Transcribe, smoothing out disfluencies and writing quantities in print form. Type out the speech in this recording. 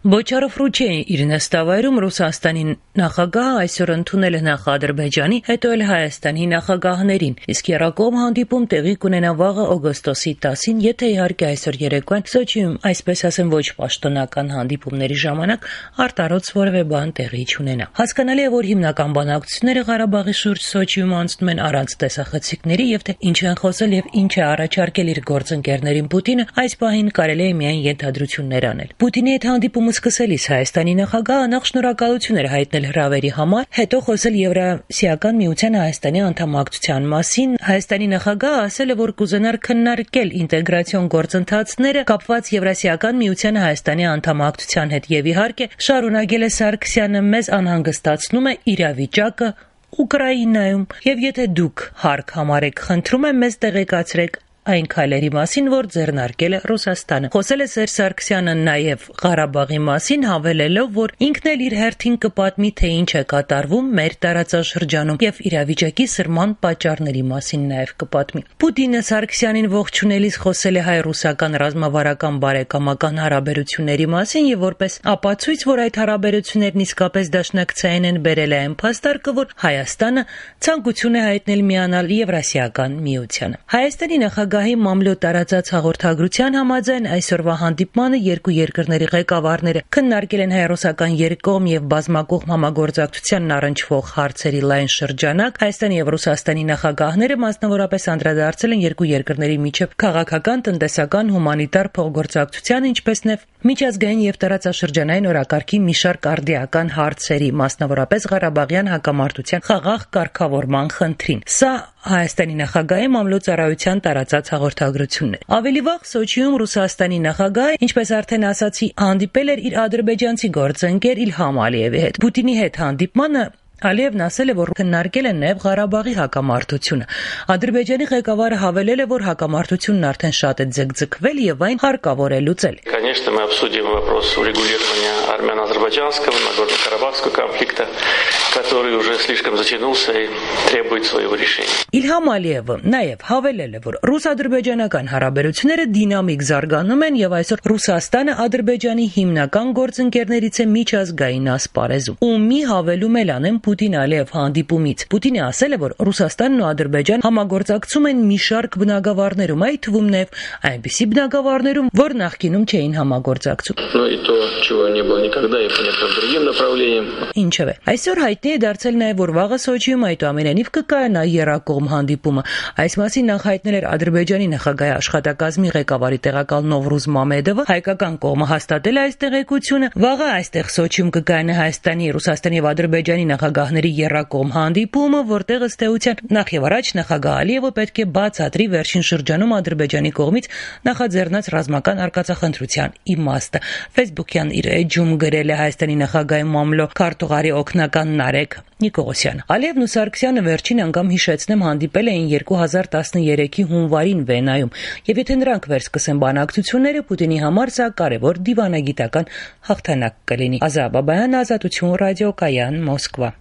Բոչարով Ռուչեի իր նստավայրում Ռուսաստանի նախագահը այսօր ընդունել է նախ Ադրբեջանի, հետո էլ Հայաստանի նախագահներին, իսկ եռակողմ հանդիպում տեղի կունենա վաղը օգոստոսի 10-ին, եթե իհարկե այսօր երեկոյան Սոչիում, այսպես ասեմ, ոչ պաշտոնական հանդիպումների ժամանակ արտարոց որևէ բան տեղի չունենա։ Հասկանալի է, որ հիմնական բանակցությունները Ղարաբաղի շուրջ Սոչիում անցնում են առանց տեսախցիկների եւ թե ինչ են խոսել եւ ինչ է առաջարկել իր գործընկերներին Պուտինը, այս պահին կարելի է միայն ենթադրություններ անել։ Պուտինի հետ հանդիպումը սկսելիս Հայաստանի նախագահը նախ շնորհակալություն էր հայտնել հրավերի համար, հետո խոսել Եվրասիական միության Հայաստանի անդամակցության մասին։ Հայաստանի նախագահը ասել է, որ կուզենար քննարկել ինտեգրացիոն գործընթացները կապված Եվրասիական միության Հայաստանի անդամակցության հետ եւ իհարկե շարունակել է Սարգսյանը մեզ անհանգստացնում է իրավիճակը Ուկրաինայում եւ եթե դուք հարկ համարեք, խնդրում եմ մեզ տեղեկացրեք այն քայլերի մասին, որ ձեռնարկել է Ռուսաստանը։ Խոսել է Սերժ Սարգսյանը նաև Ղարաբաղի մասին, հավելելով, որ ինքն էլ իր հերթին կպատմի, թե ինչ է կատարվում մեր տարածաշրջանում եւ իրավիճակի սրման պատճառների մասին նաև կպատմի։ Պուտինը Սարգսյանին ողջունելիս խոսել է հայ-ռուսական ռազմավարական բարեկամական հարաբերությունների մասին եւ որպես ապացույց, որ այդ հարաբերություններն իսկապես դաշնակցային են, բերել է այն փաստարկը, որ Հայաստանը ցանկություն է հայտնել միանալ Եվրասիական միությանը։ Հայաստանի նախագահի մամլո տարածած հաղորդագրության համաձայն այսօրվա հանդիպմանը երկու երկրների ղեկավարները քննարկել են հայ-ռուսական երկկողմ եւ բազմակողմ համագործակցությանն առնչվող հարցերի լայն շրջանակ։ Հայաստանի եւ Ռուսաստանի նախագահները մասնավորապես անդրադարձել են երկու երկրների միջև քաղաքական, տնտեսական, հումանիտար փոխգործակցության, ինչպես նաեւ միջազգային եւ տարածաշրջանային օրակարգի մի շարք արդիական հարցերի, մասնավորապես Ղարաբաղյան հակամարտության խաղաղ կարգավորման խնդրին։ Սա Հայաստանի նախագահի մամլո ծառայության տարածած հաղորդագրությունն է։ Ավելի վաղ Սոչիում Ռուսաստանի նախագահը, ինչպես արդեն ասացի, հանդիպել էր իր ադրբեջանցի գործընկեր Իլհամ Ալիևի հետ։ Պուտինի հետ հանդիպմանը Ալիևն ասել է, որ քննարկել են նաև Ղարաբաղի հակամարտությունը։ Ադրբեջանի ղեկավարը հավելել է, որ հակամարտությունն արդեն շատ է ձգձգվել եւ այն հարկավոր է լուծել։ Конечно, мы обсудим вопрос урегулирования армяно-азербайджанского, Нагорно-Карабахского конфликта, который уже слишком затянулся и требует своего решения. Իլհամ Ալիևը նաև հավելել է, որ ռուս-ադրբեջանական հարաբերությունները դինամիկ զարգանում են եւ այսօր Ռուսաստանը Ադրբեջանի հիմնական գործընկերներից է միջազգային ասպարեզում։ Ու մի հավելում էլ անեմ Պուտին-Ալիև հանդիպումից։ Պուտինը ասել է, որ Ռուսաստանն ու Ադրբեջանը համագործակցում են մի շարք բնագավառներում, այդ թվում նաև այնպիսի բնագավառներում, որ նախկինում չէին համագործակցում։ Ինչևէ, այսօր հայտնի է դարձել նաև, որ վաղը Սոչիում այդուամենայնիվ կկայանա եռակողմ հանդիպումը։ Այս մասին նախ հայտնել էր Ադրբեջանի նախագահի աշխատակազմի ղեկավարի տեղակալ Նովրուզ Մամեդովը, հայկական կողմը հաստատել է այս տեղեկությունը։ Վաղը այստեղ Սոչիում կկայանա Հայաստանի, Ռուսաստանի եւ Ադրբեջանի նախագահների եռակողմ հանդիպումը, որտեղ ըստ էության նախ եւ առաջ նախագահ Ալիևը պետք է բացատրի վերջին շրջանում Ադրբեջանի կողմից նախաձեռնած ռազմական արկածախնդրության իմաստը։ Facebook-յան իր էջում գրել է Հայաստանի նախագահի մամլո քարտուղարի օգնական Նարեկ Նիկողոսյան։ Ալիևն ու Սարգսյանը վերջին անգամ հիշեցնեմ հանդիպել էին 2013-ի հունվարին Վենայում, եւ եթե նրանք վերսկսեն բանակցությունները, Պուտինի համար սա կարևոր դիվանագիտական հաղթանակ կլինի։ Ազա Բաբայան, Ազատություն ռադիոկայան, Մոսկվա։